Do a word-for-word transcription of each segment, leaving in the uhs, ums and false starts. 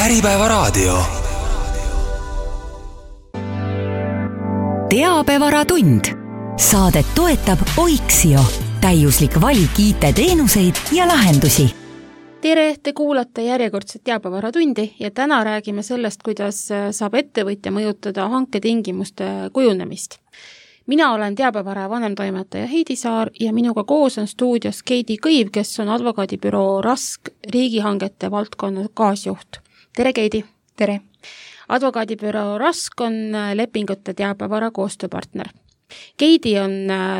Äripäevaraadio. Teabevaratund. Saadet toetab Oiksio. Täiuslik valik I T-teenuseid ja lahendusi. Tere, te kuulate järjekordset teabevaratundi ja täna räägime sellest, kuidas saab ettevõtja mõjutada hanketingimuste kujunemist. Mina olen teabevara vanemtoimetaja Heidi Saar ja minuga koos on stuudios Keidi Kõiv, kes on advokaadibüroo Rask riigihangete valdkonna kaasjuht. Tere, Keidi! Tere! Advokaadibüroo Rask on lepingute teabevara koostööpartner. Keidi on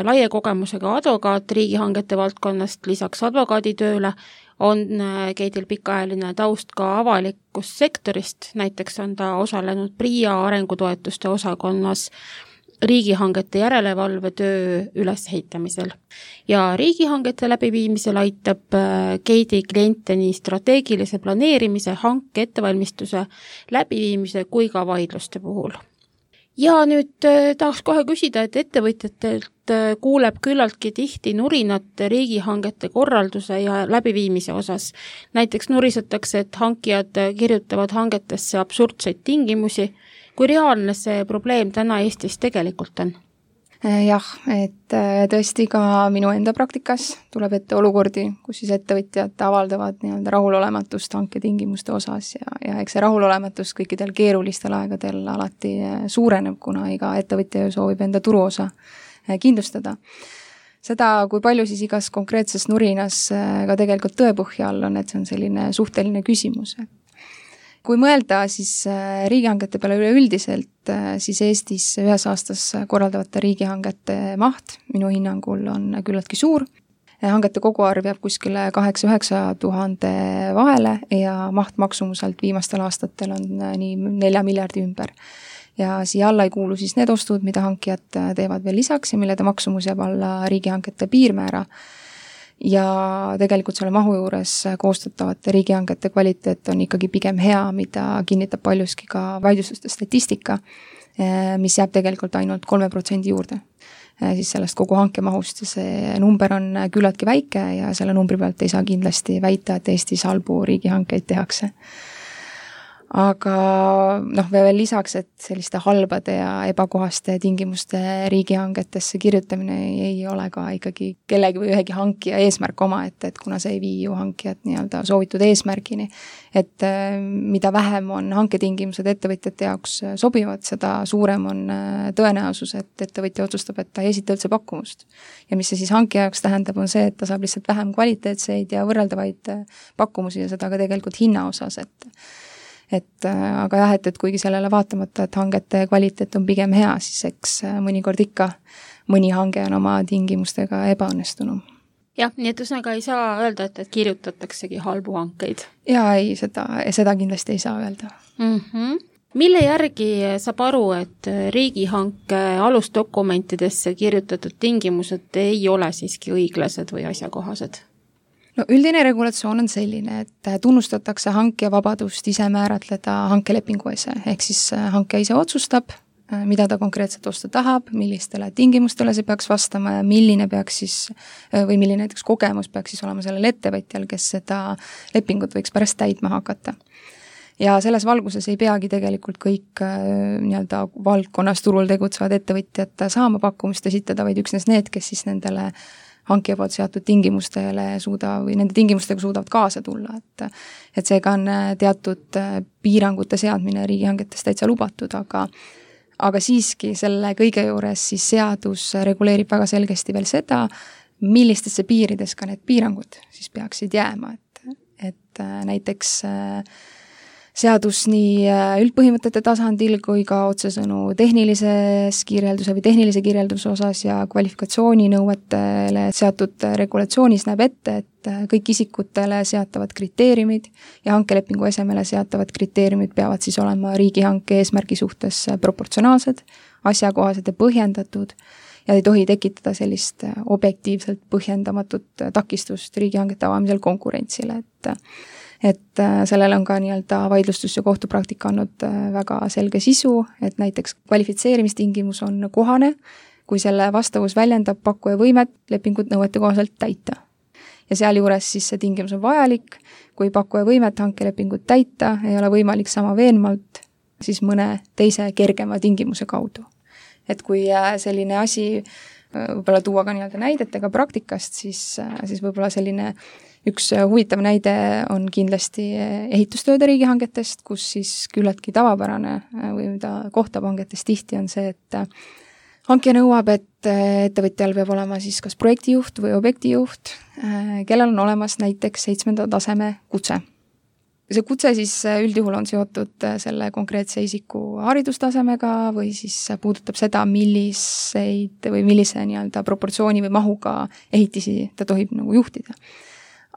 laie kogemusega advokaat riigihangete valdkonnast, lisaks advokaaditööle on Keidil pikaajaline taust ka avalikust sektorist, näiteks on ta osalenud PRIA arengutoetuste osakonnas riigihangete järelevalve töö ülesehitamisel. Ja riigihangete läbiviimisel aitab Keidi kliente nii strateegilise planeerimise, hanke ettevalmistuse läbiviimise kui ka vaidluste puhul. Ja nüüd tahaks kohe küsida, et ettevõtjatelt kuuleb küllaltki tihti nurinat riigihangete korralduse ja läbiviimise osas. Näiteks nurisetakse, et hankijad kirjutavad hangetesse absurdseid tingimusi. Kui reaalne see probleem täna Eestis tegelikult on? Jah, et tõesti ka minu enda praktikas tuleb ette olukordi, kus siis ettevõtjad avaldavad nii-öelda rahulolematust hanketingimuste osas ja, ja eks see rahulolematus kõikidel keerulistel aegadel alati suureneb, kuna iga ettevõtja soovib enda turuosa kindlustada. Seda, kui palju siis igas konkreetses nurinas ka tegelikult tõepõhja all on, et see on selline suhteline küsimus. Kui mõelda siis riigihangete peale üleüldiselt, siis Eestis ühes aastas korraldavate riigihangete maht minu hinnangul on küllaltki suur. Hangete koguarv jääb kuskile kaheksa üheksa tuhande vahele ja maht maksumuselt viimastel aastatel on nii nelja miljardi ümber. Ja siia alla ei kuulu siis need ostud, mida hankijad teevad veel lisaks ja millede maksumus jääb alla riigihangete piirmäära. Ja tegelikult selle mahu juures koostatavate riigihangete kvaliteet on ikkagi pigem hea, mida kinnitab paljuski ka vaidlustuste statistika, mis jääb tegelikult ainult kolme protsendi juurde. Siis sellest kogu hanke mahust ja see number on küllaltki väike ja selle numbri pealt ei saa kindlasti väita, et Eestis halbu riigihankeid tehakse. Aga noh, veel lisaks, et selliste halbade ja ebakohaste tingimuste riigihangetesse kirjutamine ei ole ka ikkagi kellegi või ühegi hankija eesmärk oma, et, et kuna see ei vii ju hankijat nii-öelda soovitud eesmärgini, et mida vähem on hanketingimused ettevõtjate jaoks sobivad, seda suurem on tõenäosus, et ettevõtja otsustab, et ta ei esita üldse pakkumust. Ja mis see siis hankija jaoks tähendab, on see, et ta saab lihtsalt vähem kvaliteetseid ja võrreldavaid pakkumusi ja seda ka tegelikult hinna osas, et Et, aga jah, et, et kuigi sellele vaatamata, et hangete kvaliteet on pigem hea, siis eks mõnikord ikka mõni hange on oma tingimustega ebaõnnestunum. Jah, nii et üsnaga ei saa öelda, et, et kirjutataksegi halbu hankeid. Jaa, ei, seda, seda kindlasti ei saa öelda. Mm-hmm. Mille järgi saab aru, et riigihanke alusdokumentidesse kirjutatud tingimused ei ole siiski õiglased või asjakohased? No üldine regulatsioon on selline, et tunnustatakse hankija vabadust ise määratleda hankelepingu ise, ehk siis hankija ise otsustab, mida ta konkreetselt osta tahab, millistele tingimustele see peaks vastama ja milline peaks siis, või milline näiteks kogemus peaks siis olema sellel ettevõtjal, kes seda lepingut võiks pärast täitma hakata. Ja selles valguses ei peagi tegelikult kõik nii-öelda valdkonnas turul tegutsevad ettevõtjad saama pakkumist esitada, vaid üksnes need, kes siis nendele hankija poolt seatud tingimustele suuda või nende tingimustega suudavad kaasa tulla, et, et seega on teatud piirangute seadmine riigihangetes täitsa lubatud, aga, aga siiski selle kõige juures siis seadus reguleerib väga selgesti veel seda, millistesse piirides ka need piirangud siis peaksid jääma, et, et näiteks seadus nii üldpõhimõtete tasandil kui ka otsesõnu tehnilises kirjelduse või tehnilise kirjelduse osas ja kvalifikatsiooninõuetele seatud regulatsioonis näeb ette, et kõik isikutele seatavad kriteeriumid ja hankelepingu esemele seatavad kriteeriumid peavad siis olema riigihanke eesmärgi suhtes proportsionaalsed, asjakohased ja põhjendatud ja ei tohi tekitada sellist objektiivselt põhjendamatut takistust riigihangete avamisel konkurentsile, et et sellel on ka nii-öelda vaidlustus ja kohtupraktika andnud väga selge sisu, et näiteks kvalifitseerimistingimus on kohane, kui selle vastavus väljendab pakkuja võimet lepingut nõuete kohaselt täita. ja sealjuures siis see tingimus on vajalik, kui pakkuja võimet hankelepingut täita, ei ole võimalik sama veenmalt siis mõne teise kergema tingimuse kaudu. Et kui selline asi võib-olla tuua ka nii-öelda näidetega praktikast, siis, siis võib-olla selline üks huvitav näide on kindlasti ehitustööde riigihangetest, kus siis küllaltki tavapärane või mida kohtab hangetes tihti on see, et hankija nõuab, et ettevõtjal peab olema siis kas projektijuht või objektijuht, kellel on olemas näiteks seitsmenda taseme kutse. See kutse siis üldjuhul on seotud selle konkreetse isiku haridustasemega või siis puudutab seda, milliseid või millise nii-öelda proportsiooni või mahuga ehitisi ta tohib nagu juhtida.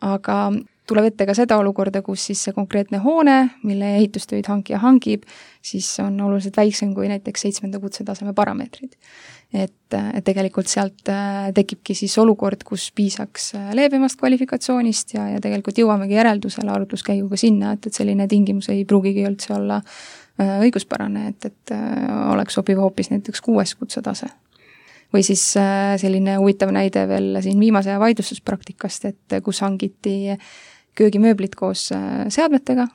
Aga tuleb ette ka seda olukorda, kus siis see konkreetne hoone, mille ehitustöid hankija hangib, siis on oluliselt väiksem kui näiteks seitsmenda kutsetaseme parameetrid. Et, et tegelikult sealt tekibki siis olukord, kus piisaks leebemast kvalifikatsioonist ja, ja tegelikult jõuamegi järeldusele arutluskäiguga sinna, et, et selline tingimus ei pruugigi üldse olla õiguspärane, et, et oleks sobiv hoopis näiteks kuues kutsetase. Või siis selline huvitav näide veel siin viimase vaidlustuspraktikast, et kus hangiti köögimööblit koos seadmetega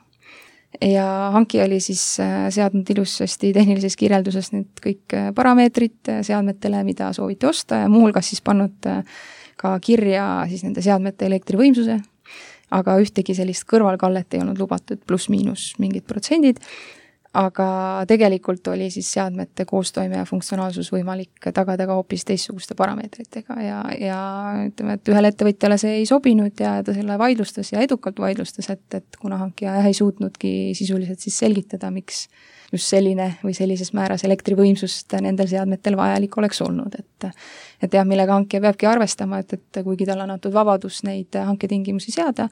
ja hanki oli siis seadnud ilusasti tehnilises kirjelduses need kõik parameetrid seadmetele, mida sooviti osta ja muuhulgas siis pannud ka kirja siis nende seadmete elektrivõimsuse, aga ühtegi sellist kõrvalkallet ei olnud lubatud pluss-miinus mingid protsendid, aga tegelikult oli siis seadmete koostoime ja funktsionaalsus võimalik tagada ka hoopis teistsuguste parameetritega ja, ja ütleme, et ühele ettevõtjale see ei sobinud ja ta selle vaidlustas ja edukalt vaidlustas, et, et kuna hankija ei suutnudki sisuliselt siis selgitada, miks just selline või sellises määras elektrivõimsust nendel seadmetel vajalik oleks olnud, et et jah, millega hankija peabki arvestama, et, et kuigi tal on antud vabadus neid hanketingimusi seada,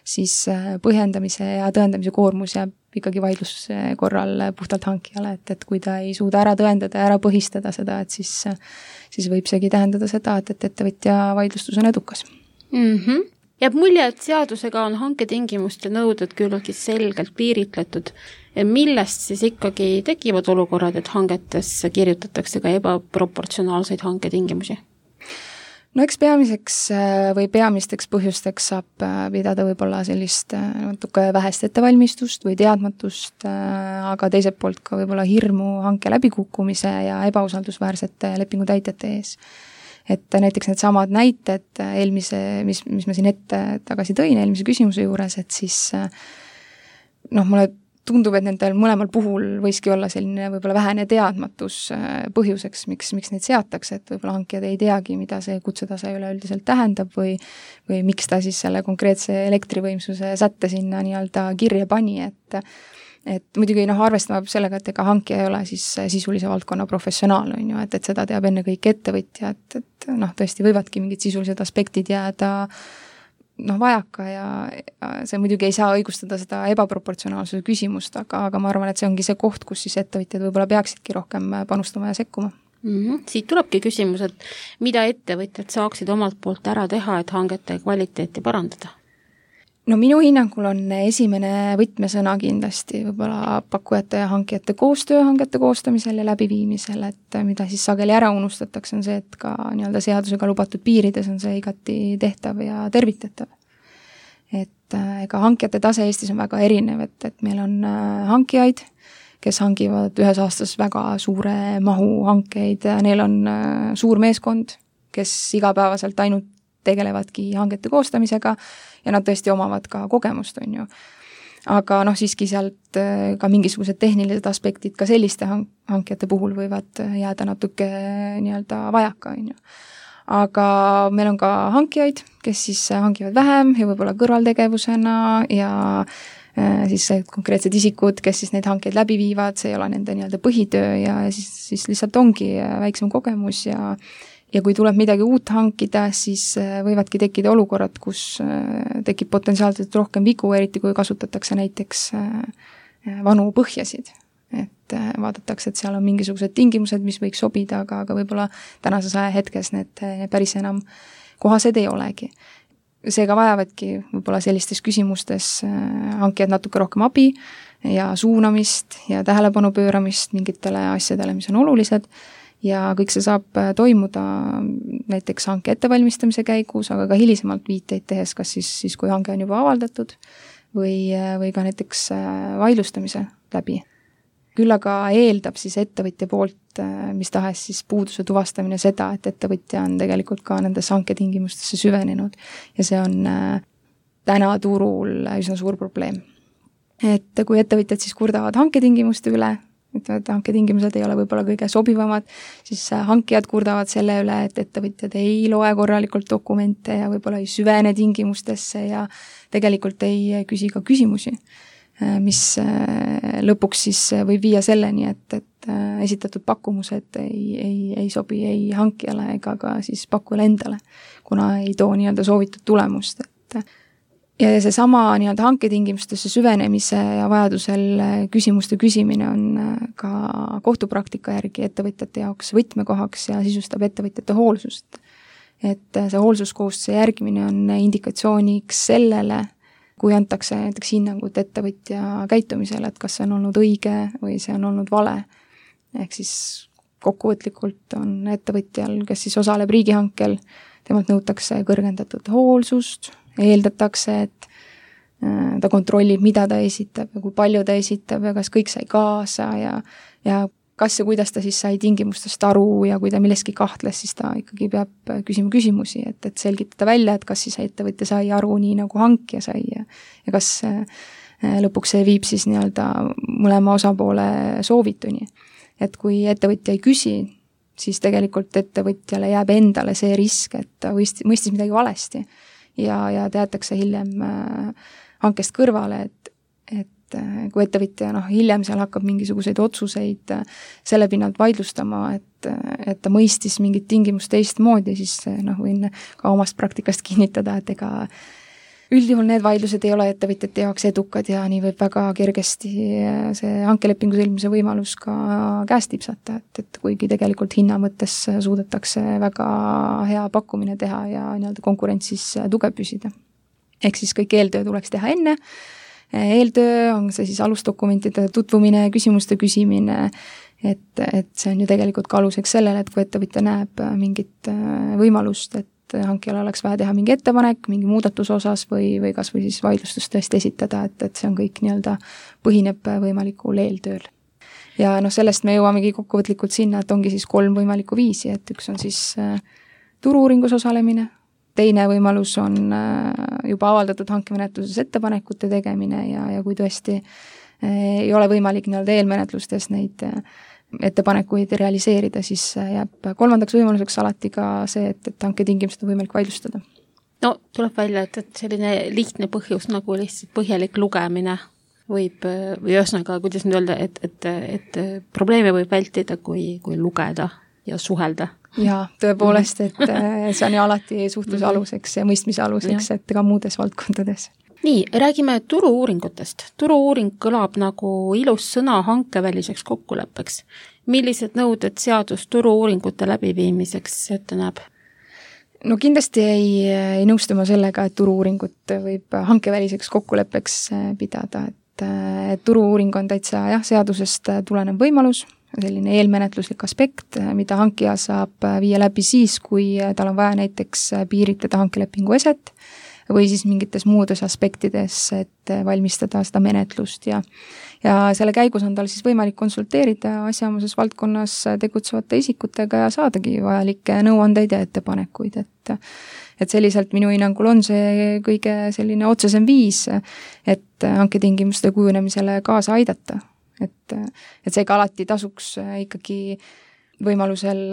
siis põhjendamise ja tõendamise koormus jääb ikkagi vaidluse korral puhtalt hankijale, et, et kui ta ei suuda ära tõendada ja ära põhistada seda, et siis, siis võib seegi tähendada seda, et, et ettevõtja vaidlustus on edukas. Mm-hmm. Jääb mulje, et seadusega on hanketingimuste nõuded küllaltki selgelt piiritletud. Millest siis ikkagi tekivad olukorrad, et hangetes kirjutatakse ka ebaproportsionaalseid hanketingimusi? No eks peamiseks või peamisteks põhjusteks saab pidada võib-olla sellist natuke vähest ettevalmistust või teadmatust, aga teiselt poolt ka võib-olla hirmu hanke läbikukkumise ja ebausaldusväärsete lepingutäitjate ees. Et näiteks need samad näited eelmise, mis, mis ma siin ette tagasi tõin eelmise küsimuse juures, et siis noh, mulle tundub, et nendel mõlemal puhul võiski olla selline võib-olla vähene teadmatus põhjuseks, miks, miks neid seatakse, et võib-olla hankijad ei teagi, mida see kutsetase üleüldiselt tähendab või, või miks ta siis selle konkreetse elektrivõimsuse sätte sinna nii-öelda kirja pani, et et muidugi noh, arvestama sellega, et ega hankija ei ole siis sisulise valdkonna professionaal, on ju, et, et seda teab enne kõik ettevõtja, et, et noh, tõesti võivadki mingid sisulised aspektid jääda noh, vajaka ja, ja see muidugi ei saa õigustada seda ebaproportsionaalsuse küsimust, aga, aga ma arvan, et see ongi see koht, kus siis ettevõtjad võib-olla peaksidki rohkem panustama ja sekkuma. Mm-hmm. Siit tulebki küsimus, et mida ettevõtjad saaksid omalt poolt ära teha, et hangete kvaliteeti parandada? No minu hinnangul on esimene võtmesõna kindlasti võib-olla pakkujate ja hankijate koostöö hangete koostamisel ja läbiviimisel, et mida siis sageli ära unustatakse, on see, et ka nii-öelda seadusega lubatud piirides on see igati tehtav ja tervitatav. Et ega hankijate tase Eestis on väga erinev, et, et meil on hankijaid, kes hangivad ühes aastas väga suure mahu hankeid, neil on suur meeskond, kes igapäevaselt ainult tegelevadki hangete koostamisega ja nad tõesti omavad ka kogemust, on ju. Aga noh, siiski sealt ka mingisugused tehnilised aspektid ka selliste hankijate puhul võivad jääda natuke nii-öelda vajaka, on ju. Aga meil on ka hankijaid, kes siis hangivad vähem ja võib-olla kõrvaltegevusena ja siis konkreetsed isikud, kes siis neid hankeid läbi viivad, see ei ole nende nii-öelda põhitöö ja siis, siis lihtsalt ongi väiksem kogemus ja ja kui tuleb midagi uut hankida, siis võivadki tekkida olukorrad, kus tekib potentsiaalselt rohkem vigu, eriti kui kasutatakse näiteks vanu põhjasid. Et vaadatakse, et seal on mingisugused tingimused, mis võiks sobida, aga, aga võib-olla tänases ajahetkes need päris enam kohased ei olegi. Seega vajavadki võib-olla sellistes küsimustes hankijad natuke rohkem abi ja suunamist ja tähelepanu pööramist mingitele asjadele, mis on olulised. ja kõik see saab toimuda näiteks hanke ettevalmistamise käigus, aga ka hilisemalt viiteid tehes, kas siis, siis kui hange on juba avaldatud või, või ka näiteks vaidlustamise läbi. Küll aga eeldab siis ettevõtja poolt mis tahes siis puuduse tuvastamine seda, et ettevõtja on tegelikult ka nendes hanketingimustesse süvenenud ja see on täna turul üsna suur probleem. Et kui ettevõtjad siis kurdavad hanketingimuste üle, ütlevad, et hanketingimused ei ole võib-olla kõige sobivamad, siis hankijad kurdavad selle üle, et ettevõtjad ei loe korralikult dokumente ja võib-olla ei süvene tingimustesse ja tegelikult ei küsi ka küsimusi, mis lõpuks siis võib viia selleni, et, et esitatud pakkumused ei, ei, ei sobi ei hankijale ega ka siis pakkujale endale, kuna ei too nii-öelda soovitud tulemust, et ja see sama nii-öelda hanketingimustesse süvenemise ja vajadusel küsimuste küsimine on ka kohtupraktika järgi ettevõtjate jaoks võtmekohaks ja sisustab ettevõtjate hoolsust. Et see hoolsuskohustuse järgimine on indikatsiooniks sellele, kui antakse näiteks hinnangut ettevõtja käitumisele, et kas see on olnud õige või see on olnud vale. Ehk siis kokkuvõtlikult on ettevõtjal, kes siis osaleb riigihankel, temalt nõutakse kõrgendatud hoolsust, eeldatakse, et ta kontrollib, mida ta esitab ja kui palju ta esitab ja kas kõik sai kaasa ja, ja kas ja kuidas ta siis sai tingimustest aru ja kui ta milleski kahtles, siis ta ikkagi peab küsima küsimusi, et, et selgitada välja, et kas siis ettevõtja sai aru nii nagu hankija sai ja, ja kas lõpuks see viib siis nii-öelda mõlema osapoole soovituni. Et kui ettevõtja ei küsi, siis tegelikult ettevõtjale jääb endale see risk, et ta mõistis, mõistis midagi valesti. Ja, ja teatakse hiljem äh, hankest kõrvale, et, et äh, kui ettevõtja noh, hiljem seal hakkab mingisuguseid otsuseid äh, selle pinnalt vaidlustama, et, et ta mõistis mingit tingimust teistmoodi, siis noh, võin ka omast praktikast kinnitada, et ega üldjuhul need vaidlused ei ole ettevõtjate jaoks edukad ja nii võib väga kergesti see hankelepingu sõlmimise võimalus ka käest tipsata, et, et kuigi tegelikult hinna mõttes suudetakse väga hea pakkumine teha ja nii-öelda konkurentsis tugev püsida. Ehk siis kõik eeltöö tuleks teha enne. Eeltöö on see siis alusdokumentide tutvumine, küsimuste küsimine, et, et see on ju tegelikult ka aluseks sellele, et kui ettevõtja näeb mingit võimalust, et hankijal oleks vaja teha mingi ettepanek, mingi muudatuse osas või, või kas või siis vaidlustust tõesti esitada, et, et see on kõik nii-öelda põhineb võimalikul eeltööl. Ja noh, sellest me jõuamegi kokkuvõtlikult sinna, et ongi siis kolm võimalikku viisi, et üks on siis äh, turu-uuringus osalemine, teine võimalus on äh, juba avaldatud hankemenetluses ettepanekute tegemine ja, ja kui tõesti äh, ei ole võimalik nii-öelda eelmenetlustes neid äh, ettepanekuid realiseerida, siis jääb kolmandaks võimaluseks alati ka see, et, et hanketingimused on võimalik vaidlustada. No tuleb välja, et, et selline lihtne põhjus nagu lihtsalt põhjalik lugemine võib, või ühesõnaga, kuidas nüüd öelda, et, et, et probleeme võib vältida, kui, kui lugeda ja suhelda. Jaa, tõepoolest, et see on ju alati suhtluse aluseks ja mõistmise aluseks, et ka muudes valdkondades. Nii, räägime turu-uuringutest. Turu-uuring kõlab nagu ilus sõna hankeväliseks kokkuleppeks. Millised nõuded seadus turu-uuringute läbiviimiseks ette näeb? No kindlasti ei, ei nõustuma sellega, et turu-uuringut võib hankeväliseks kokkuleppeks pidada, et, et turu-uuring on täitsa jah, seadusest tulenev võimalus, selline eelmenetluslik aspekt, mida hankija saab viia läbi siis, kui tal on vaja näiteks piiritleda hankelepingu eset, või siis mingites muudes aspektides, et valmistada seda menetlust ja, ja selle käigus on tal siis võimalik konsulteerida asjaomases valdkonnas tegutsevate isikutega ja saadagi vajalikke nõuandeid ja ettepanekuid, et, et selliselt minu hinnangul on see kõige selline otsesem viis, et hanketingimuste kujunemisele kaasa aidata, et, et seega alati tasuks ikkagi võimalusel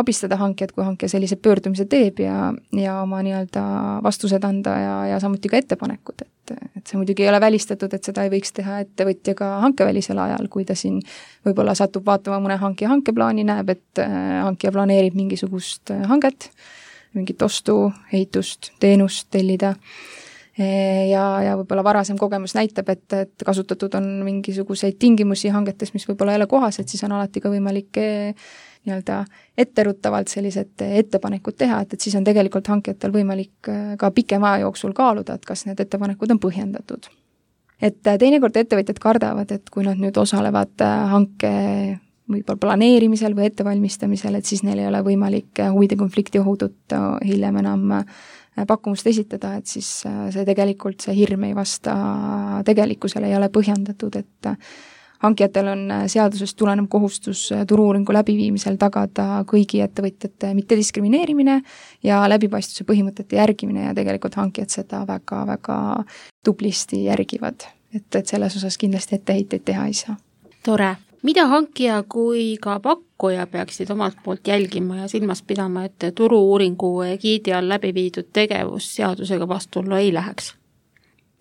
abistada hankijat, kui hankija sellise pöördumise teeb ja, ja oma nii-öelda vastused anda ja, ja samuti ka ettepanekud, et, et see muidugi ei ole välistatud, et seda ei võiks teha ettevõtja ka hankevälisel ajal, kui ta siin võib-olla satub vaatama mõne hankija hankeplaani, näeb, et hankija planeerib mingisugust hanget, mingit ostu, ehitust, teenust tellida ja, ja võib-olla varasem kogemus näitab, et, et kasutatud on mingisuguseid tingimusi hangetes, mis võib-olla ei ole kohased, siis on alati ka võimalik nii-öelda etteruttavalt sellised ettepanekud teha, et, et siis on tegelikult hankijatel võimalik ka pikema aja jooksul kaaluda, et kas need ettepanekud on põhjendatud. Et teinekord ettevõtjad kardavad, et kui nad nüüd osalevad hanke võib-olla planeerimisel või ettevalmistamisel, et siis neil ei ole võimalik huvide konflikti ohutut hiljem enam pakkumust esitada, et siis see tegelikult, see hirm ei vasta tegelikkusele, ei ole põhjendatud, et hankijatel on seadusest tulenev kohustus turu-uuringu läbiviimisel tagada kõigi ettevõtjate mittediskrimineerimine ja läbipaistvuse põhimõtete järgimine ja tegelikult hankijad seda väga-väga tublisti järgivad, et, et selles osas kindlasti etteheiteid teha ei saa. Tore. Mida hankija kui ka pakkuja peaksid omalt poolt jälgima ja silmas pidama, et turu-uuringu egiidi all läbi viidud tegevus seadusega vastuollu ei läheks?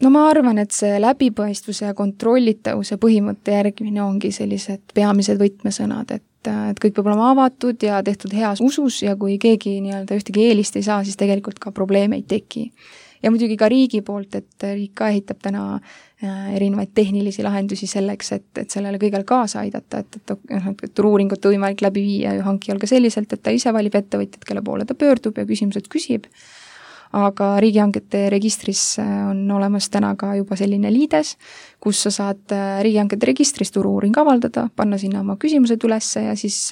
No ma arvan, et see läbipaistvuse ja kontrollitavuse põhimõtte järgimine ongi sellised peamised võtmesõnad, et, et kõik peab olema avatud ja tehtud heas usus ja kui keegi nii-öelda ühtegi eelist ei saa, siis tegelikult ka probleeme ei teki. Ja muidugi ka riigi poolt, et riik ka ehitab täna erinevaid tehnilisi lahendusi selleks, et, et sellele kõigele kaasa aidata, et, et, et, et turu-uuringut on võimalik läbi viia ju hankijal ka selliselt, et ta ise valib ettevõtjad, kelle poole ta pöördub ja küsimused küsib. Aga riigihangete registris on olemas täna ka juba selline liides, kus sa saad riigihangete registris turu-uuring avaldada, panna sinna oma küsimused ülesse ja siis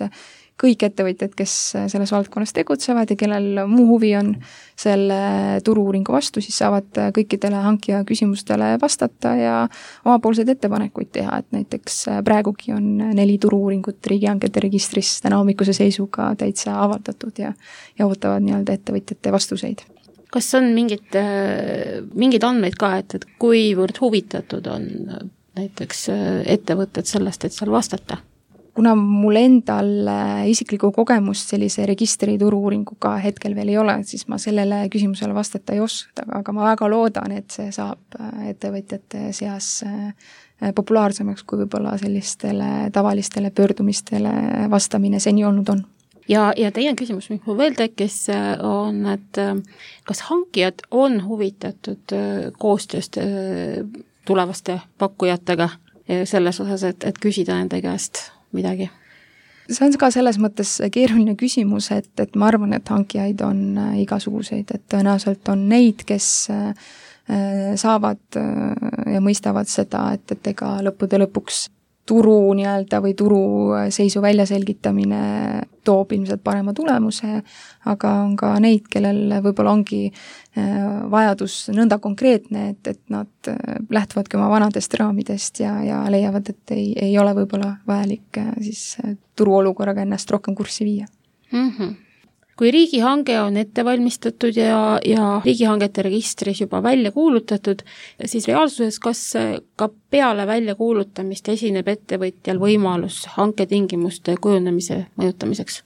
kõik ettevõtjad, kes selles valdkonnas tegutsevad ja kellel muu huvi on selle turu-uuringu vastu, siis saavad kõikidele hankija küsimustele vastata ja omapoolseid ettepanekuid teha, et näiteks praegugi on neli turu-uuringut riigihangete registris täna hommikuse seisuga täitsa avaldatud ja, ja ootavad nii-öelda ettevõtjate vastuseid. Kas on mingid, mingid andmeid ka, et, et kuivõrd huvitatud on näiteks ettevõtted sellest, et seal vastata? Kuna mul endal isiklikku kogemust sellise registri turu-uuringuga hetkel veel ei ole, siis ma sellele küsimusele vastata ei oska, aga ma väga loodan, et see saab ettevõtjate seas populaarsemaks, kui võib-olla sellistele tavalistele pöördumistele vastamine seni olnud on. Ja, ja teie küsimus, mis mul veel tekkis, on, et kas hankijad on huvitatud koostööst tulevaste pakkujatega selles osas, et, et küsida nende käest midagi? See on ka selles mõttes keeruline küsimus, et, et ma arvan, et hankijaid on igasuguseid, et tõenäoliselt on neid, kes saavad ja mõistavad seda, et, et ega lõppude lõpuks turu nii-öelda või turu seisu väljaselgitamine toob ilmselt parema tulemuse, aga on ka neid, kellel võib-olla ongi vajadus nõnda konkreetne, et, et nad lähtuvadki oma vanadest raamidest ja, ja leiavad, et ei, ei ole võib-olla vajalik siis turuolukorraga ennast rohkem kurssi viia. Mm-hmm. Kui riigihange on ette valmistatud ja, ja riigihangete registris juba välja kuulutatud, siis reaalsuses kas ka peale väljakuulutamist esineb ettevõtjal võimalus hanketingimuste kujunemise mõjutamiseks?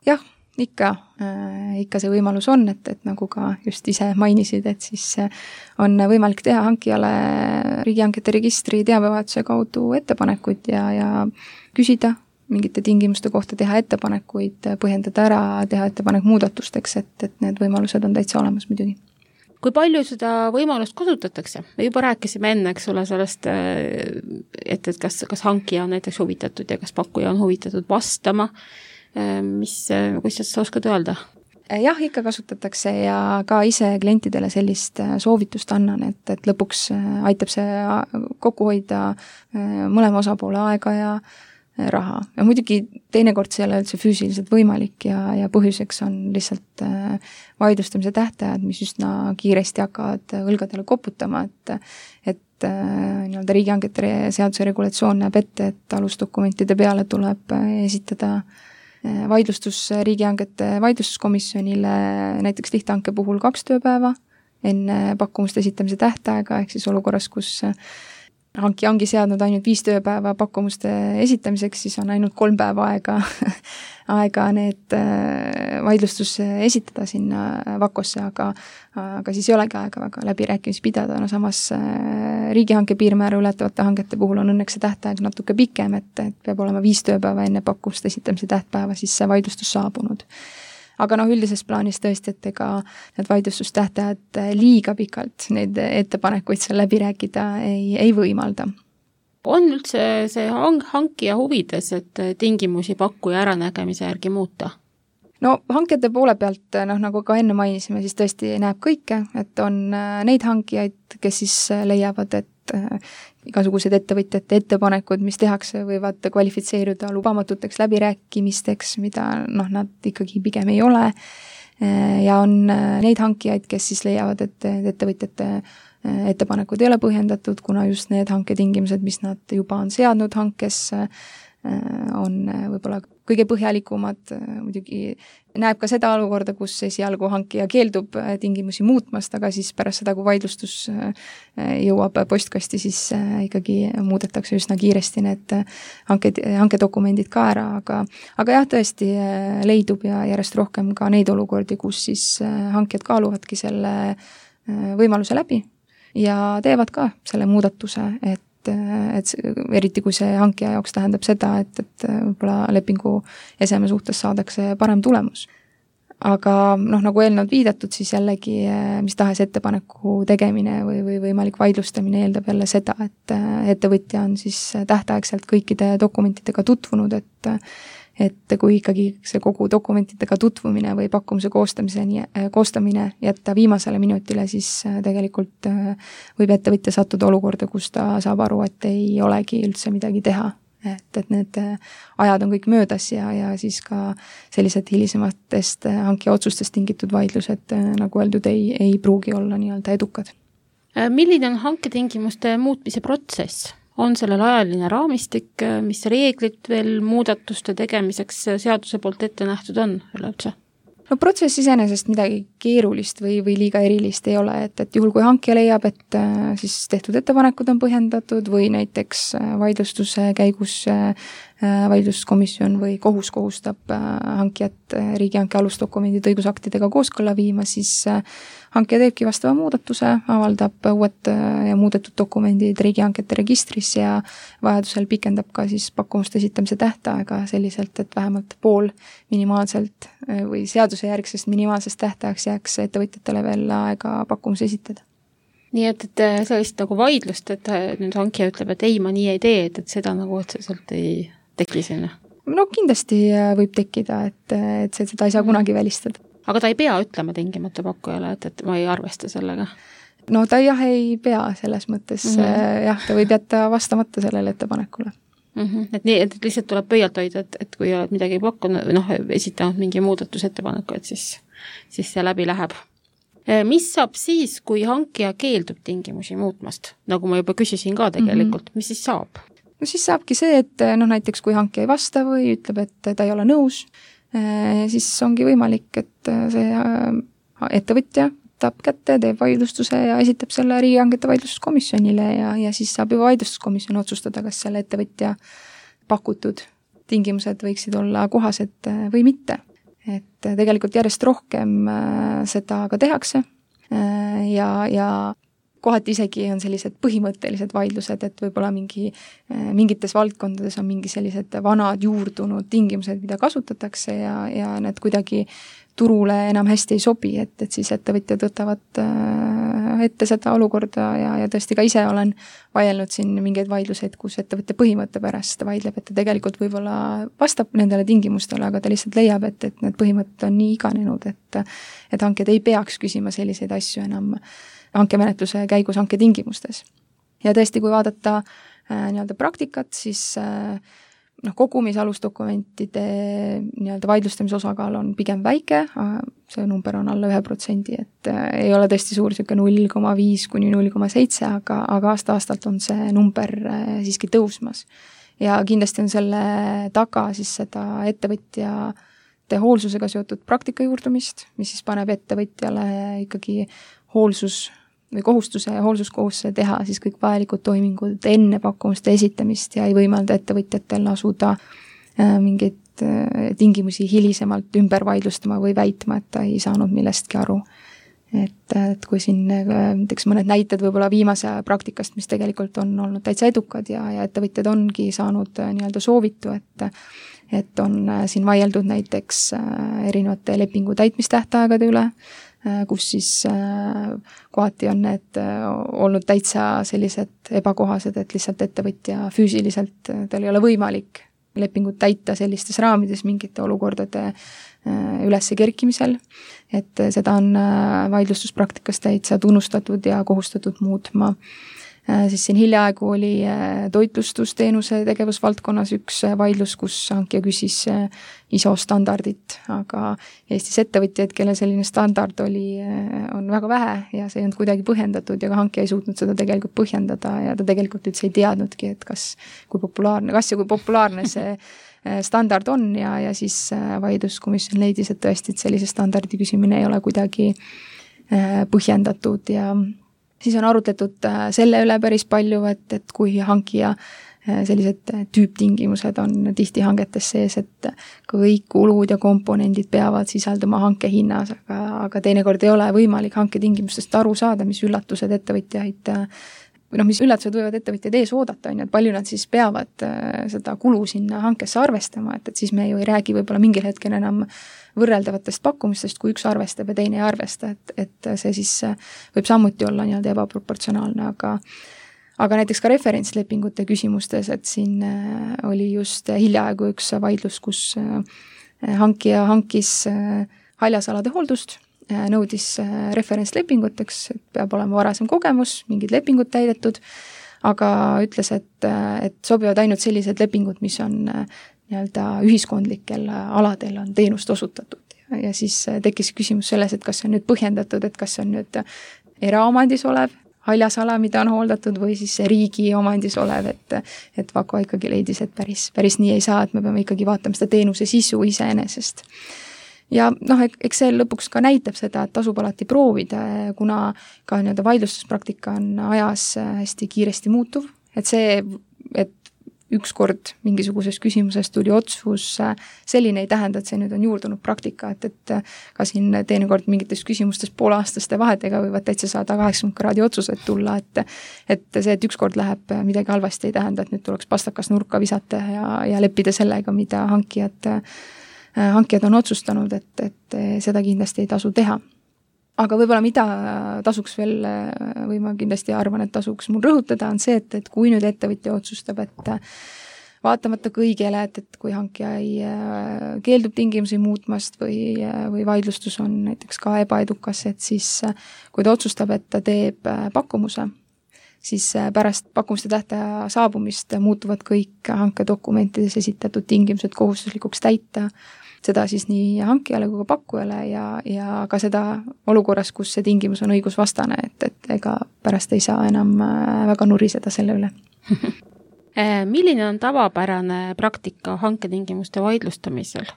Jah, ikka, äh, ikka see võimalus on, et, et nagu ka just ise mainisid, et siis on võimalik teha hankijale riigihangete registri teabevahetuse kaudu ettepanekuid ja, ja küsida mingite tingimuste kohta, teha ettepanekuid, põhjendada ära, teha ettepanek muudatusteks, et, et need võimalused on täitsa olemas muidugi. Kui palju seda võimalust kasutatakse? Me juba rääkisime enne, eks ole, sellest, et, et kas, kas hankija on näiteks huvitatud ja kas pakkuja on huvitatud vastama. Mis, kuidas sa oskad öelda? Jah, ikka kasutatakse ja ka ise klientidele sellist soovitust annan, et, et lõpuks aitab see kokku hoida mõlema osapoole aega ja raha. Ja muidugi teinekord see ei ole üldse füüsiliselt võimalik ja, ja põhjuseks on lihtsalt vaidlustamise tähtajad, mis üsna kiiresti hakkavad õlgadele koputama, et, et nii-öelda riigihangete seaduse regulatsioon näeb ette, et alusdokumentide peale tuleb esitada vaidlustus riigihangete vaidlustuskomisjonile näiteks lihthanke puhul kaks tööpäeva enne pakkumuste esitamise tähtaega, ehk siis olukorras, kus hankija ongi seadnud ainult viis tööpäeva pakkumuste esitamiseks, siis on ainult kolm päeva aega, aega need vaidlustus esitada sinna vakosse, aga, aga siis ei olegi aega väga läbirääkimisi pidada. No samas riigihanke piirmäära ületavate hangete puhul on õnneks see tähtaeg natuke pikem, et, et peab olema viis tööpäeva enne pakkumuste esitamise tähtpäeva siis see vaidlustus saabunud. Aga noh, üldises plaanis tõesti, et ega need vaidlustustähtajad liiga pikalt neid ettepanekuid seal läbi rääkida ei, ei võimalda. On üldse see hankija huvides, et tingimusi pakkuja äranägemise järgi muuta? No hankete poole pealt, noh, nagu ka enne mainisime, siis tõesti näeb kõike, et on neid hankijaid, kes siis leiavad, et igasugused ettevõtjate ettepanekud, mis tehakse, võivad kvalifitseeruda lubamatuteks läbirääkimisteks, mida noh, nad ikkagi pigem ei ole. Ja on neid hankijaid, kes siis leiavad, et ettevõtjate ettepanekud ei ole põhjendatud, kuna just need hanketingimused, mis nad juba on seadnud hankes, on võib-olla kõige põhjalikumad, muidugi näeb ka seda olukorda, kus esialgu hankija keeldub tingimusi muutmast, aga siis pärast seda, kui vaidlustus jõuab postkasti, siis ikkagi muudetakse üsna kiiresti need hanke, hankedokumendid ka ära, aga, aga jah, tõesti leidub ja järjest rohkem ka neid olukordi, kus siis hankijad kaaluvadki selle võimaluse läbi ja teevad ka selle muudatuse, et et eriti kui see hankija jaoks tähendab seda, et, et võib-olla lepingu eseme suhtes saadakse parem tulemus. Aga noh, nagu eelnevalt viidatud, siis jällegi mis tahes ettepaneku tegemine või, või võimalik vaidlustamine eeldab jälle seda, et ettevõtja on siis tähtaegselt kõikide dokumentidega tutvunud, et et kui ikkagi see kogu dokumentidega tutvumine või pakkumuse koostamiseni, koostamine jätta viimasele minutile, siis tegelikult võib ettevõtja sattuda olukorda, kus ta saab aru, et ei olegi üldse midagi teha. Et, et need ajad on kõik möödas ja, ja siis ka sellised hilisematest hankija otsustest tingitud vaidlused, nagu öeldud, ei, ei pruugi olla nii-öelda edukad. Milline on hanketingimuste muutmise protsess? On sellel ajaline raamistik, mis reeglid veel muudatuste tegemiseks seaduse poolt ette nähtud on üleüldse? No protsess iseenesest midagi keerulist või, või liiga erilist ei ole, et, et juhul kui hankija leiab, et siis tehtud ettepanekud on põhjendatud või näiteks vaidlustuse käigus vaidluskomisjon või kohus kohustab hankijat riigihanke alusdokumendid õigusaktidega kooskõlla viima, siis hankija teebki vastava muudatuse, avaldab uued ja muudetud dokumendid riigihankete registris ja vajadusel pikendab ka siis pakkumuste esitamise tähtaega selliselt, et vähemalt pool minimaalselt või seaduse järgsest minimaalsest tähtajaks jääks ettevõtjatele veel aega pakkumus esitada. Nii et, et sellist nagu vaidlust, et nüüd hankija ütleb, et ei, ma nii ei tee, et, et seda nagu otseselt ei teki sinna? No kindlasti võib tekkida, et, et seda ei saa kunagi välistada. Aga ta ei pea ütlema tingimata pakkujale, et, et ma ei arvesta sellega? No ta jah ei pea selles mõttes, mm -hmm. jah, ta võib jätta vastamata sellele ettepanekule. Mm -hmm. Et nii, et lihtsalt tuleb pöialt hoida, et, et kui oled midagi pakkunud, noh, esitanud mingi muudatusettepaneku, et siis, siis see läbi läheb. Mis saab siis, kui hankija keeldub tingimusi muutmast? Nagu ma juba küsisin ka tegelikult, mm -hmm. mis siis saab? No siis saabki see, et noh, näiteks kui hankija ei vasta või ütleb, et ta ei ole nõus, siis ongi võimalik, et see ettevõtja võtab kätte, teeb vaidlustuse ja esitab selle riigihangete vaidlustuskomisjonile ja, ja siis saab juba vaidlustuskomisjon otsustada, kas selle ettevõtja pakutud tingimused võiksid olla kohased või mitte. Et tegelikult järjest rohkem seda ka tehakse ja, ja kohati isegi on sellised põhimõttelised vaidlused, et võib-olla mingi, mingites valdkondades on mingi sellised vanad juurdunud tingimused, mida kasutatakse ja, ja need kuidagi turule enam hästi ei sobi, et, et siis ettevõtjad võtavad ette seda olukorda ja, ja tõesti ka ise olen vaielnud siin mingeid vaidluseid, kus ettevõtja põhimõtte pärast vaidleb, et ta tegelikult võib-olla vastab nendele tingimustele, aga ta lihtsalt leiab, et, et need põhimõtted on nii iganenud, et, et hanked ei peaks küsima selliseid asju enam hankemenetluse käigus hanke tingimustes. Ja tõesti, kui vaadata äh, nii-öelda praktikat, siis äh, noh, kogumis alusdokumentide nii-öelda vaidlustamise osakaal on pigem väike, see number on alla ühe protsendi, et äh, ei ole tõesti suur siuke null koma viis kuni null koma seitse, aga, aga aasta-aastalt on see number äh, siiski tõusmas. Ja kindlasti on selle taga siis seda ettevõtja hoolsusega seotud praktika juurdumist, mis siis paneb ettevõtjale ikkagi hoolsus või kohustuse ja hoolsuskohustuse teha siis kõik vajalikud toimingud enne pakkumuste esitamist ja ei võimalda ettevõtjatel asuda mingeid tingimusi hilisemalt ümber vaidlustama või väitma, et ta ei saanud millestki aru. Et, et kui siin näiteks mõned näited võib-olla viimase praktikast, mis tegelikult on olnud täitsa edukad ja, ja ettevõtjad ongi saanud nii-öelda soovitu, et et on siin vaieldud näiteks erinevate lepingu täitmistähtaegade üle, kus siis kohati on need olnud täitsa sellised ebakohased, et lihtsalt ettevõtja füüsiliselt, tal ei ole võimalik lepingut täita sellistes raamides mingite olukordade ülesse kerkimisel, et seda on vaidlustuspraktikas täitsa tunnustatud ja kohustatud muutma. siis siin hiljaaegu oli toitlustusteenuse tegevusvaldkonnas üks vaidlus, kus hankija küsis I S O standardit, aga Eestis ettevõtjaid, kellel selline standard oli, on väga vähe ja see ei olnud kuidagi põhjendatud ja ka hankija ei suutnud seda tegelikult põhjendada ja ta tegelikult üldse ei teadnudki, et kas, kui populaarne, kas ja kui populaarne see standard on ja, ja siis vaidluskomisjon leidis, et tõesti, et sellise standardi küsimine ei ole kuidagi põhjendatud ja siis on arutletud selle üle päris palju, et, et kui hankija sellised tüüptingimused on tihti hangetes sees, et kõik kulud ja komponendid peavad sisalduma hanke hinnas, aga, aga teinekord ei ole võimalik hanketingimustest aru saada, mis üllatused ettevõtjaid või noh, mis üllatused võivad ettevõtjaid ees oodata, on ju, et palju nad siis peavad seda kulu sinna hankesse arvestama, et, et siis me ju ei räägi võib-olla mingil hetkel enam võrreldavatest pakkumistest, kui üks arvestab ja teine ei arvesta, et, et see siis võib samuti olla nii-öelda ebaproportsionaalne, aga aga näiteks ka referentslepingute küsimustes, et siin oli just hiljaaegu üks vaidlus, kus hankija hankis haljasalade hooldust, nõudis referentslepinguteks, et peab olema varasem kogemus, mingid lepingud täidetud, aga ütles, et, et sobivad ainult sellised lepingud, mis on nii-öelda ühiskondlikel aladel on teenust osutatud. Ja siis tekkis küsimus selles, et kas see on nüüd põhjendatud, et kas see on nüüd eraomandis olev haljasala, mida on hooldatud, või siis riigi omandis olev, et, et Vako ikkagi leidis, et päris, päris nii ei saa, et me peame ikkagi vaatama seda teenuse sisu iseenesest. Ja noh, eks see lõpuks ka näitab seda, et tasub alati proovida, kuna ka nii-öelda vaidlustuspraktika on ajas hästi kiiresti muutuv, et see, et ükskord mingisuguses küsimuses tuli otsus, selline ei tähenda, et see nüüd on juurdunud praktika, et, et ka siin teinekord mingites küsimustes poolaastaste vahedega võivad täitsa saada kaheksakümmend kraadi otsused tulla, et et see, et ükskord läheb midagi halvasti, ei tähenda, et nüüd tuleks pastakas nurka visata ja, ja leppida sellega, mida hankijad, hankijad on otsustanud, et, et seda kindlasti ei tasu teha. Aga võib-olla mida tasuks veel, või ma kindlasti arvan, et tasuks mul rõhutada, on see, et, et kui nüüd ettevõtja otsustab, et vaatamata kõigele, et, et kui hankija ei keeldub tingimusi muutmast või, või vaidlustus on näiteks ka ebaedukas, et siis kui ta otsustab, et ta teeb pakkumuse, siis pärast pakkumuste tähtaja saabumist muutuvad kõik hankedokumentides esitatud tingimused kohustuslikuks täita, seda siis nii hankijale kui ka pakkujale ja, ja ka seda olukorras, kus see tingimus on õigusvastane, et, et ega pärast ei saa enam väga nuriseda selle üle. Milline on tavapärane praktika hanketingimuste vaidlustamisel?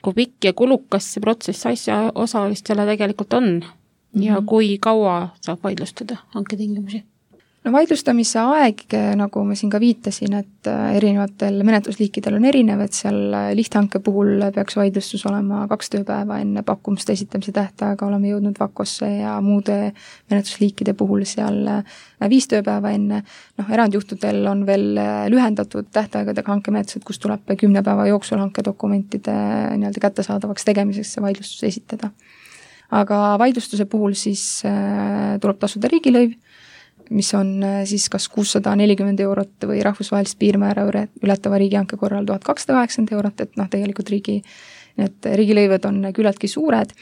Kui pikk ja kulukas see protsess asja osalistele tegelikult on ja mm-hmm. kui kaua saab vaidlustada hanketingimusi? No vaidlustamise aeg, nagu ma siin ka viitasin, et erinevatel menetlusliikidel on erinev, et seal lihthanke puhul peaks vaidlustus olema kaks tööpäeva enne pakkumuste esitamise tähtaega, oleme jõudnud Vakosse ja muude menetlusliikide puhul seal viis tööpäeva enne. Noh, erandjuhtudel on veel lühendatud tähtaegadega hankemenetlused, kus tuleb kümne päeva jooksul hankedokumentide nii-öelda kättesaadavaks tegemiseks see vaidlustus esitada. Aga vaidlustuse puhul siis tuleb tasuda riigilõiv, mis on siis kas kuussada nelikümmend eurot või rahvusvahelist piirmäära ületava riigihanke korral tuhat kakssada kaheksakümmend eurot, et noh, tegelikult riigi, need riigilõivud on küllaltki suured.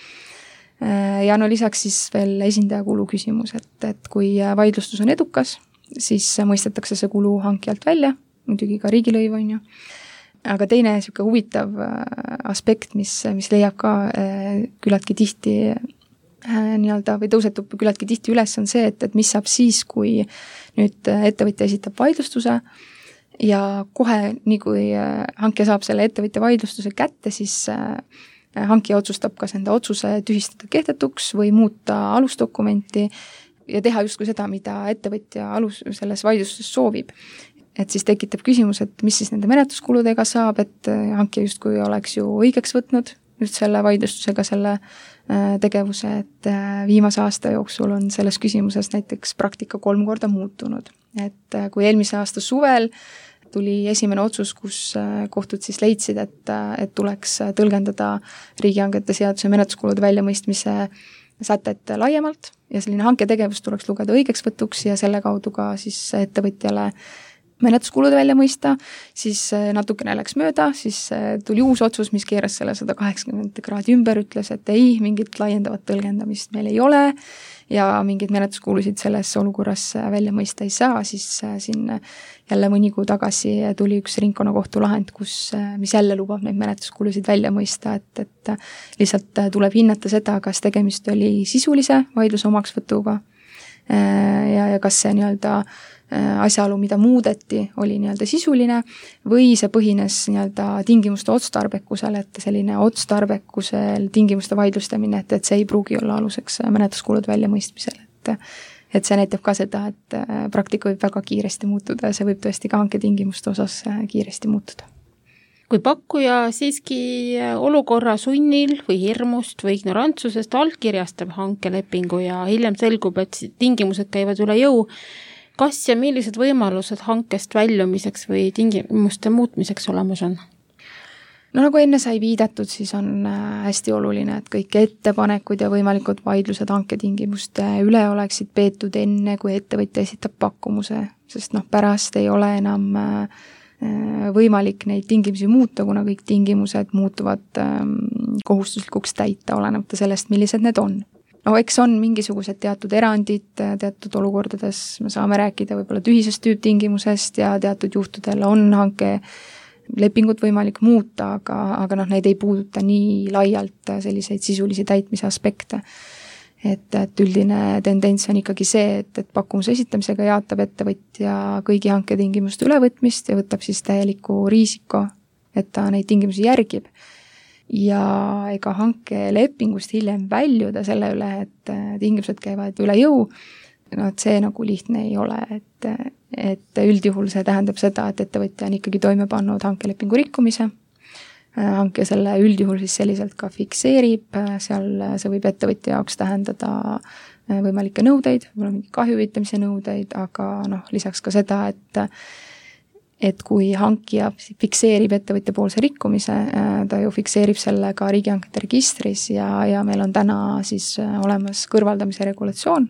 Ja no lisaks siis veel esindajakulu küsimus, et, et kui vaidlustus on edukas, siis mõistetakse see kulu hankijalt välja, muidugi ka riigilõiv on ju. Aga teine niisugune huvitav aspekt, mis, mis leiab ka küllaltki tihti nii-öelda või tõusetub küllaltki tihti üles, on see, et, et mis saab siis, kui nüüd ettevõtja esitab vaidlustuse ja kohe, nii kui hankija saab selle ettevõtja vaidlustuse kätte, siis hankija otsustab kas enda otsuse tühistada kehtetuks või muuta alusdokumenti ja teha justkui seda, mida ettevõtja alus selles vaidlustuses soovib. Et siis tekitab küsimus, et mis siis nende menetluskuludega saab, et hankija justkui oleks ju õigeks võtnud nüüd selle vaidlustusega selle tegevuse, et viimase aasta jooksul on selles küsimuses näiteks praktika kolm korda muutunud. Et kui eelmise aasta suvel tuli esimene otsus, kus kohtud siis leidsid, et, et tuleks tõlgendada riigihangete seaduse menetluskulude väljamõistmise sätet laiemalt ja selline hanketegevus tuleks lugeda õigeksvõtuks ja selle kaudu ka siis ettevõtjale menetluskulud välja mõista, siis natukene läks mööda, siis tuli uus otsus, mis keeras selle sada kaheksakümmend kraadi ümber, ütles, et ei, mingit laiendavat tõlgendamist meil ei ole ja mingid menetluskulusid selles olukorras välja mõista ei saa, siis siin jälle mõni kuu tagasi tuli üks ringkonnakohtu lahend, kus, mis jälle lubab neid menetluskulusid välja mõista, et, et lihtsalt tuleb hinnata seda, kas tegemist oli sisulise vaidluse omaksvõtuga ja, ja kas see nii-öelda asjaolu, mida muudeti, oli nii-öelda sisuline või see põhines nii-öelda tingimuste otstarbekusel, et selline otstarbekusel tingimuste vaidlustamine, et, et see ei pruugi olla aluseks menetluskulud väljamõistmisel. Et, et see näitab ka seda, et praktika võib väga kiiresti muutuda ja see võib tõesti ka hanke tingimuste osas kiiresti muutuda. Kui pakkuja siiski olukorra sunnil või hirmust või ignorantsusest allkirjastab hankelepingu ja hiljem selgub, et tingimused käivad üle jõu, kas ja millised võimalused hankest väljumiseks või tingimuste muutmiseks olemas on? No nagu enne sai viidatud, siis on hästi oluline, et kõik ettepanekud ja võimalikud vaidlused hanketingimuste üle oleksid peetud enne, kui ettevõtja esitab pakkumuse, sest noh, pärast ei ole enam võimalik neid tingimusi muuta, kuna kõik tingimused muutuvad kohustuslikuks täita, olenemata sellest, millised need on. No eks on mingisugused teatud erandid, teatud olukordades me saame rääkida võib-olla tühisest tüüptingimusest ja teatud juhtudel on hanke lepingut võimalik muuta, aga, aga noh, neid ei puuduta nii laialt selliseid sisulisi täitmise aspekte. Et, et üldine tendents on ikkagi see, et, et pakkumuse esitamisega jaatab ettevõtja kõigi hanketingimuste ülevõtmist ja võtab siis täieliku riisiko, et ta neid tingimusi järgib. Ja ega hankelepingust hiljem väljuda selle üle, et tingimused käivad üle jõu, no et see nagu lihtne ei ole, et, et üldjuhul see tähendab seda, et ettevõtja on ikkagi toime pannud hankelepingu rikkumise, hanke selle üldjuhul siis selliselt ka fikseerib, seal see võib ettevõtja jaoks tähendada võimalikke nõudeid, võib-olla mingi kahju hüvitamise nõudeid, aga noh, lisaks ka seda, et et kui hankija fikseerib ettevõtja poolse rikkumise, ta ju fikseerib selle ka riigihankete registris ja, ja meil on täna siis olemas kõrvaldamise regulatsioon,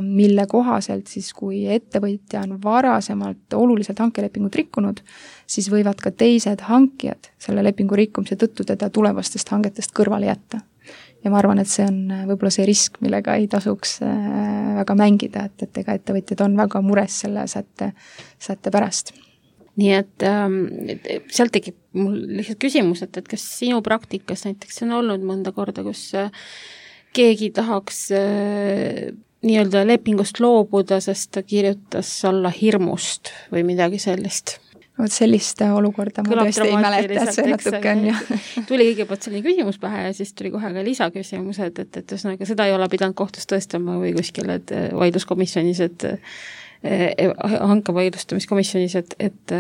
mille kohaselt siis, kui ettevõtja on varasemalt oluliselt hankelepingut rikkunud, siis võivad ka teised hankijad selle lepingu rikkumise tõttu teda tulevastest hangetest kõrvale jätta. Ja ma arvan, et see on võib-olla see risk, millega ei tasuks väga mängida, et, et ega ettevõtjad on väga mures selle sätte, sätte pärast. Nii et ähm, sealt tekib mul lihtsalt küsimus, et, et kas sinu praktikas näiteks on olnud mõnda korda, kus äh, keegi tahaks äh, nii-öelda lepingust loobuda, sest ta kirjutas alla hirmust või midagi sellist? Vot sellist olukorda ma Kõlab tõesti ei mäleta, et see natuke on ju. Tuli kõigepealt selline küsimus pähe ja siis tuli kohe ka lisaküsimus, et, et, et üsnaga seda ei ole pidanud kohtus tõestama või kuskil, et vaidluskomisjonis, et hanke vaidlustamiskomisjonis, et, et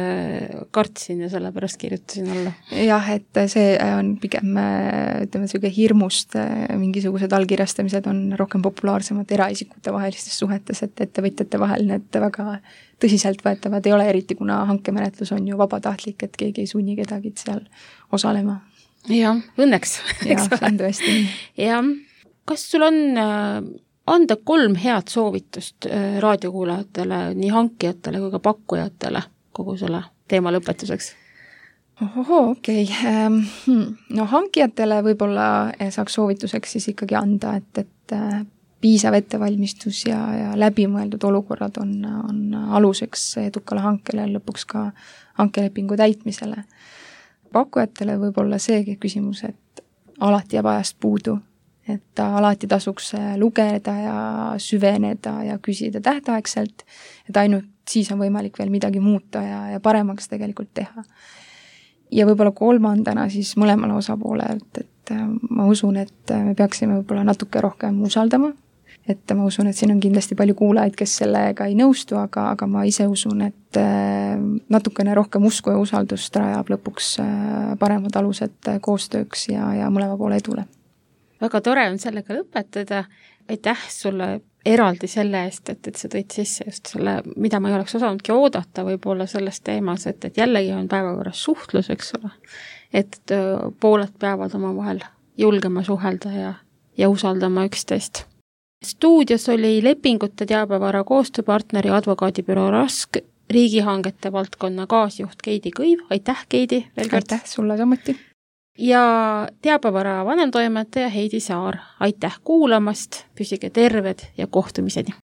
kartsin ja sellepärast kirjutasin alla. Jah, et see on pigem, ütleme, selline hirmust, mingisugused allkirjastamised on rohkem populaarsemad eraisikute vahelistes suhetes, et ettevõtjate vahel need väga tõsiselt võetavad ei ole, eriti kuna hankemenetlus on ju vabatahtlik, et keegi ei sunni kedagi seal osalema. Jah, õnneks. Jah, see on tõesti. Jah, kas sul on anda kolm head soovitust raadiokuulajatele, nii hankijatele kui ka pakkujatele kogu selle teema lõpetuseks? Ohoho, okei. Okay. No hankijatele võib-olla saaks soovituseks siis ikkagi anda, et, et piisav ettevalmistus ja, ja läbimõeldud olukorrad on, on aluseks edukale hankele lõpuks ka hankelepingu täitmisele. Pakkujatele võib-olla see küsimus, et alati jääb ajast puudu, et alati tasuks lugeda ja süveneda ja küsida tähtaegselt, et ainult siis on võimalik veel midagi muuta ja, ja paremaks tegelikult teha. Ja võib-olla kolmandana siis mõlemale osapoolelt, et ma usun, et me peaksime võib-olla natuke rohkem usaldama, et ma usun, et siin on kindlasti palju kuulajaid, kes sellega ei nõustu, aga, aga ma ise usun, et natukene rohkem usku ja usaldust rajab lõpuks paremad alused koostööks ja, ja mõlema poole edule. Väga tore on sellega lõpetada. Aitäh sulle eraldi selle eest, et, et sa tõid sisse just selle, mida ma ei oleks osanudki oodata võib-olla selles teemas, et, et jällegi on päevakorras suhtlus, eks ole. Et pooled peavad oma vahel julgema suhelda ja, ja usaldama üksteist. Stuudios oli lepingute teabevara koostööpartneri advokaadibüroo Rask riigihangete valdkonna kaasjuht Keidi Kõiv, aitäh Keidi veel kord! Aitäh sulle samuti! Ja teabevara vanemtoimetaja Heidi Saar, aitäh kuulamast, püsige terved ja kohtumiseni!